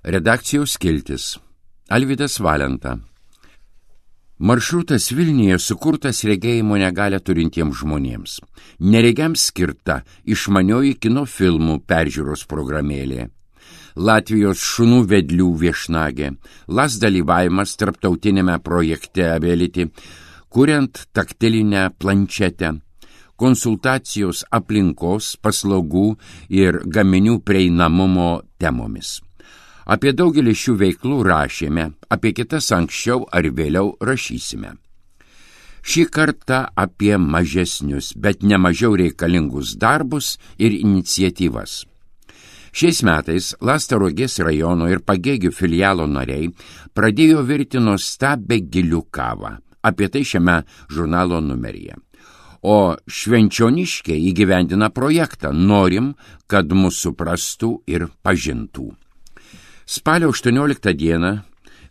Redakcijos skiltis. Alvydas Valenta. Maršrutas Vilniuje sukurtas regėjimo negalią turintiems žmonėms. Neregiams skirta išmanioji kino filmų peržiūros programėlė. Latvijos šunų vedlių viešnagė. LAS dalyvavimas tarptautinėme projekte Ability, kuriant taktilinę planšetę. Konsultacijos aplinkos, paslaugų ir gaminių prieinamumo temomis. Apie daugelį šių veiklų rašėme, apie kitas anksčiau ar vėliau rašysime. Šį kartą apie mažesnius, bet nemažiau reikalingus darbus ir iniciatyvas. Šiais metais LAS Tauragės rajono ir Pagėgių filialo nariai pradėjo virti nuostabią gilių kavą. Apie tai šiame žurnalo numeryje. O švenčioniškiai įgyvendina projektą Norim, kad mus suprastų ir pažintų. Spalio 18 dieną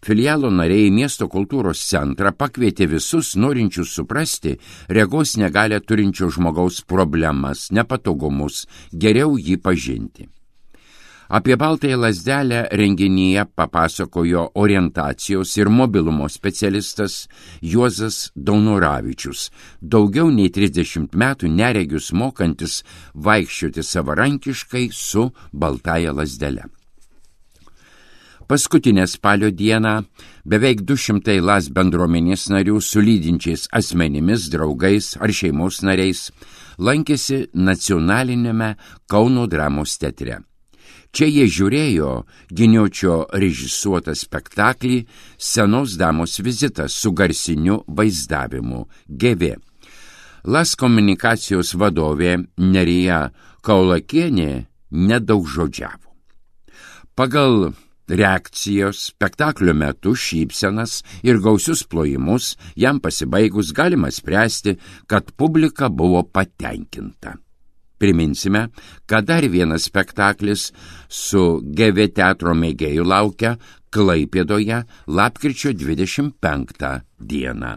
filialo nariai į miesto kultūros centrą pakvietė visus norinčius suprasti regos negalią turinčio žmogaus problemas, nepatogumus, geriau jį pažinti. Apie baltąją lazdelę renginyje papasakojo orientacijos ir mobilumo specialistas Juozas Daunoravičius, daugiau nei 30 metų neregius mokantis vaikščioti savarankiškai su baltąja lazdele. Paskutinę spalio dieną beveik 200 LAS bendruomenės narių su lydinčiais asmenimis, draugais ar šeimos nariais lankėsi nacionalinėme Kauno dramos teatre. Čia jie žiūrėjo Giniočio režisuotą spektaklį Senos damos vizitas su garsiniu vaizdavimu GV. LAS komunikacijos vadovė Nerija Kaulakienė nedaugžodžiavo. Pagal reakcijos spektaklio metu šypsenas ir gausius plojimus jam pasibaigus galima spręsti, kad publika buvo patenkinta. Priminsime, kad dar vienas spektaklis su GV teatro mėgėjų laukia Klaipėdoje lapkričio 25 dieną.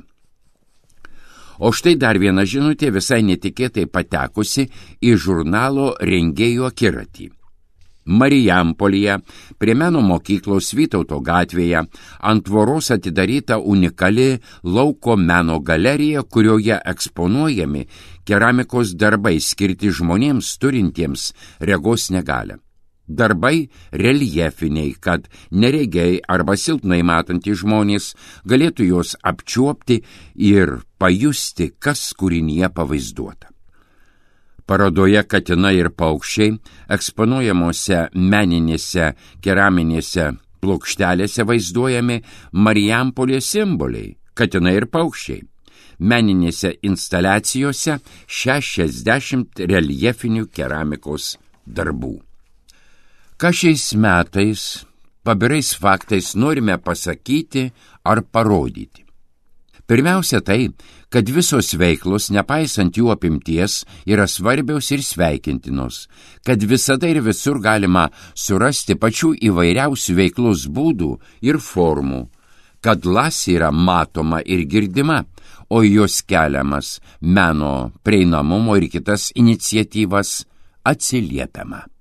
O štai dar viena žinutė visai netikėtai patekusi į žurnalo rengėjų akiratį. Marijampolėje, prie meno mokyklos Vytauto gatvėje, ant tvoros atidaryta unikali lauko meno galerija, kurioje eksponuojami keramikos darbai skirti žmonėms turintiems regos negalią. Darbai reljefiniai, kad neregiai arba silpnai matantys žmonės galėtų juos apčiuopti ir pajusti, kas kūrinyje pavaizduota. Parodoje Katinai ir paukščiai eksponuojamuose meninėse keraminėse plokštelėse vaizduojami Marijampolės simboliai Katinai ir paukščiai. Meninėse instaliacijose 60 reljefinių keramikos darbų. Ką šiais metais pabirais faktais norime pasakyti ar parodyti? Pirmiausia tai, kad visos veiklos, nepaisant jų apimties, yra svarbios ir sveikintinos, kad visada ir visur galima surasti pačių įvairiausių veiklos būdų ir formų, kad LAS yra matoma ir girdima, o jos keliamas meno prieinamumo ir kitas iniciatyvas atsiliepiama.